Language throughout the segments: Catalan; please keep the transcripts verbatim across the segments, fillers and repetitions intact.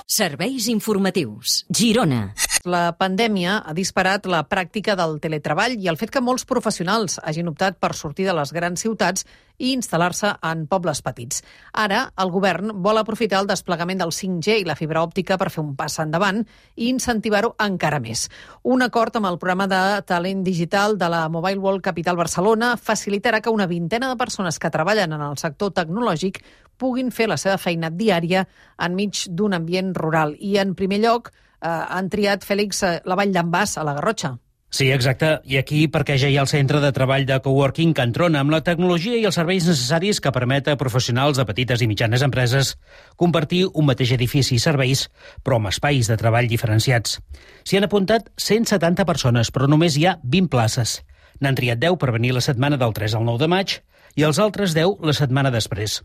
Serveis informatius. Girona. La pandèmia ha disparat la pràctica del teletreball i el fet que molts professionals hagin optat per sortir de les grans ciutats i instal·lar-se en pobles petits. Ara, el govern vol aprofitar el desplegament del cinc G i la fibra òptica per fer un pas endavant i incentivar-ho encara més. Un acord amb el programa de talent digital de la Mobile World Capital Barcelona facilitarà que una vintena de persones que treballen en el sector tecnològic puguin fer la seva feina diària enmig d'un ambient rural. I, en primer lloc, eh, han triat, Fèlix, la Vall d'en Bas, a la Garrotxa. Sí, exacte. I aquí perquè ja hi ha el centre de treball de coworking Can Trona, amb la tecnologia i els serveis necessaris que permet a professionals de petites i mitjanes empreses compartir un mateix edifici i serveis, però amb espais de treball diferenciats. S'hi han apuntat cent setanta persones, però només hi ha vint places. N'han triat deu per venir la setmana del tres al nou de maig i els altres deu la setmana després.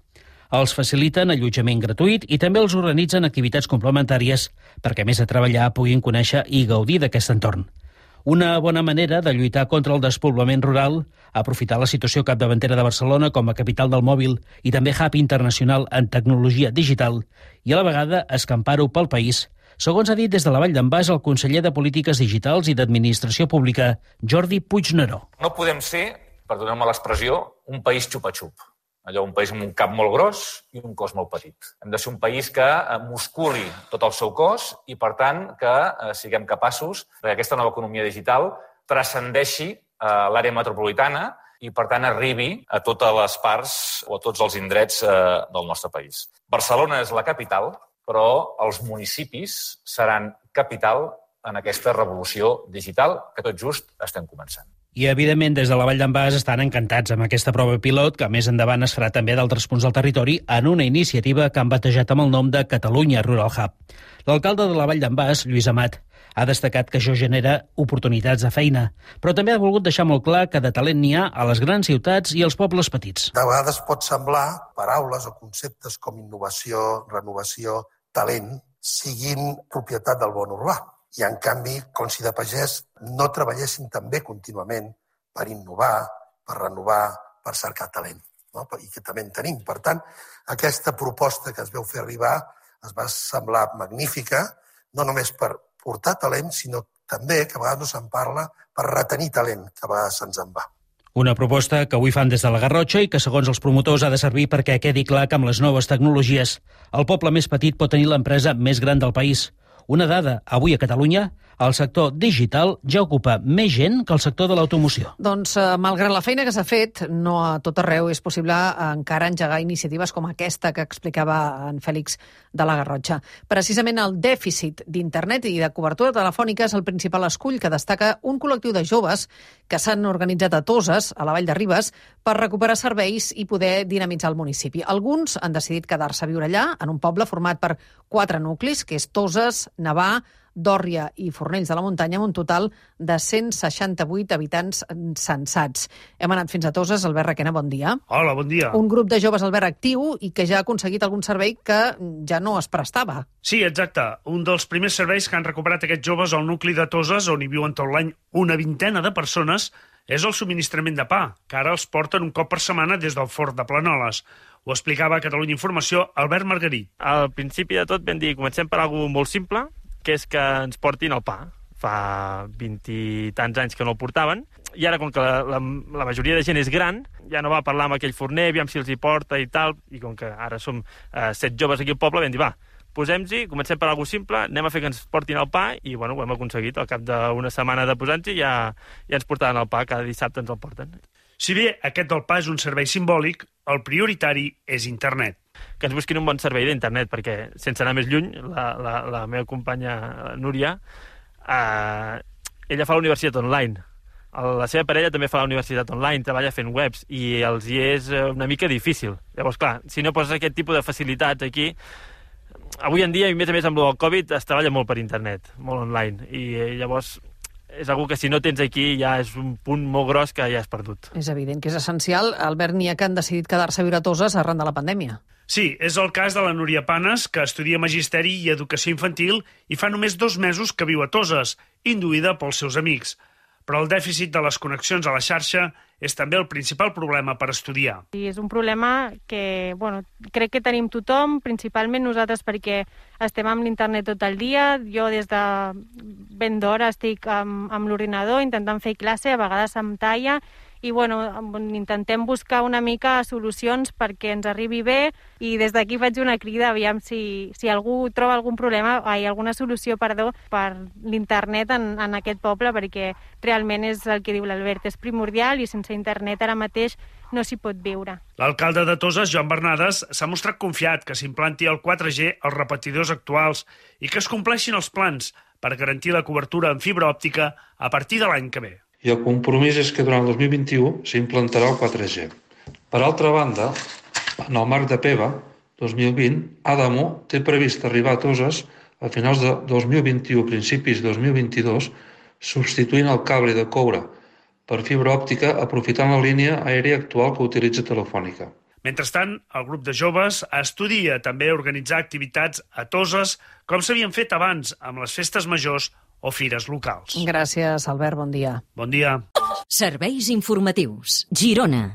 Els faciliten allotjament gratuït i també els organitzen activitats complementàries perquè, a més de treballar, puguin conèixer i gaudir d'aquest entorn. Una bona manera de lluitar contra el despoblament rural, aprofitar la situació capdavantera de Barcelona com a capital del mòbil i també hub internacional en tecnologia digital i a la vegada escampar-ho pel país, segons ha dit des de la Vall d'en Bas el conseller de Polítiques Digitals i d'Administració Pública, Jordi Puigneró. No podem ser, perdoneu-me l'expressió, un país xupa-xup. Allò, un país amb un cap molt gros i un cos molt petit. Hem de ser un país que musculi tot el seu cos i, per tant, que siguem capaços que aquesta nova economia digital transcendeixi l'àrea metropolitana i, per tant, arribi a totes les parts o a tots els indrets del nostre país. Barcelona és la capital, però els municipis seran capital en aquesta revolució digital que tot just estem començant. I, evidentment, des de la Vall d'en Bas estan encantats amb aquesta prova pilot, que més endavant es farà també d'altres punts del territori en una iniciativa que han batejat amb el nom de Catalunya Rural Hub. L'alcalde de la Vall d'en Bas, Lluís Amat, ha destacat que això genera oportunitats de feina, però també ha volgut deixar molt clar que de talent n'hi ha a les grans ciutats i als pobles petits. De vegades pot semblar paraules o conceptes com innovació, renovació, talent, siguin propietat del món urbà. I, en canvi, com si de pagès no treballessin també contínuament per innovar, per renovar, per cercar talent, no? I que també en tenim. Per tant, aquesta proposta que es veu fer arribar es va semblar magnífica, no només per portar talent, sinó també, que a vegades no se'n parla, per retenir talent, que a vegades se'ns en va. Una proposta que avui fan des de la Garrotxa i que, segons els promotors, ha de servir perquè quedi clar que amb les noves tecnologies el poble més petit pot tenir l'empresa més gran del país. Una dada, avui a Catalunya, el sector digital ja ocupa més gent que el sector de l'automoció. Doncs, eh, malgrat la feina que s'ha fet, no a tot arreu és possible encara engegar iniciatives com aquesta que explicava en Fèlix de la Garrotxa. Precisament el dèficit d'internet i de cobertura telefònica és el principal escull que destaca un col·lectiu de joves que s'han organitzat a Toses, a la Vall de Ribes, per recuperar serveis i poder dinamitzar el municipi. Alguns han decidit quedar-se a viure allà, en un poble format per quatre nuclis, que és Toses, Navà, Dòrria i Fornells de la Muntanya, amb un total de cent seixanta-vuit habitants censats. Hem anat fins a Toses. Albert Requena, bon dia. Hola, bon dia. Un grup de joves, Albert, actiu i que ja ha aconseguit algun servei que ja no es prestava. Sí, exacte. Un dels primers serveis que han recuperat aquests joves al nucli de Toses, on hi viuen tot l'any una vintena de persones, és el subministrament de pa, que ara els porten un cop per setmana des del Fort de Planoles. Ho explicava a Catalunya Informació Albert Margarit. Al principi de tot vam dir, comencem per alguna molt simple, que és que ens portin el pa. Fa vint i tants anys que no el portaven, i ara, com que la, la, la majoria de gent és gran, ja no va parlar amb aquell forner, aviam si els hi porta i tal, i com que ara som eh, set joves aquí al poble, vam dir, va, posem-hi, comencem per alguna simple, anem a fer que ens portin el pa, i bueno, ho hem aconseguit. Al cap d'una setmana de posar-nos-hi ja, ja ens portaven el pa, cada dissabte ens el porten. Si bé aquest del pa és un servei simbòlic, el prioritari és internet. Que ens busquin un bon servei d'internet, perquè, sense anar més lluny, la, la, la meva companya la Núria, eh, ella fa la universitat online. La seva parella també fa la universitat online, treballa fent webs, i els hi és una mica difícil. Llavors, clar, si no poses aquest tipus de facilitats aquí, avui en dia, i més a més amb el Covid, es treballa molt per internet, molt online, i llavors és algú que si no tens aquí ja és un punt molt gros que ja has perdut. És evident que és essencial. Albert, n'hi ha que han decidit quedar-se a viure a Toses arran de la pandèmia. Sí, és el cas de la Núria Panes, que estudia Magisteri i Educació Infantil i fa només dos mesos que viu a Toses, induïda pels seus amics. però el dèficit de les connexions a la xarxa és també el principal problema per estudiar. I és un problema que, bueno, crec que tenim tothom, principalment nosaltres perquè estem amb l'internet tot el dia. Jo des de ben d'hora estic amb, amb l'ordinador intentant fer classe, a vegades amb talla, i bueno, intentem buscar una mica solucions perquè ens arribi bé, i des d'aquí faig una crida, aviam si, si algú troba algun problema, ai, alguna solució, perdó, per l'internet en, en aquest poble, perquè realment és el que diu l'Albert, és primordial i sense internet ara mateix no s'hi pot viure. L'alcalde de Toses, Joan Bernades, s'ha mostrat confiat que s'implanti el quatre G als repetidors actuals i que es compleixin els plans per garantir la cobertura en fibra òptica a partir de l'any que ve. I el compromís és que durant el dos mil vint-i-u s'implantarà el quatre G. Per altra banda, en el marc de P E V A dos mil vint, Adamo té previst arribar a Toses a finals de dos mil vint-i-u, principis de dos mil vint-i-dos, substituint el cable de coure per fibra òptica aprofitant la línia aèria actual que utilitza Telefònica. Mentrestant, el grup de joves estudia també organitzar activitats a Toses com s'havien fet abans amb les festes majors o fires locals. Gràcies, Albert. Bon dia. Bon dia. Serveis informatius. Girona.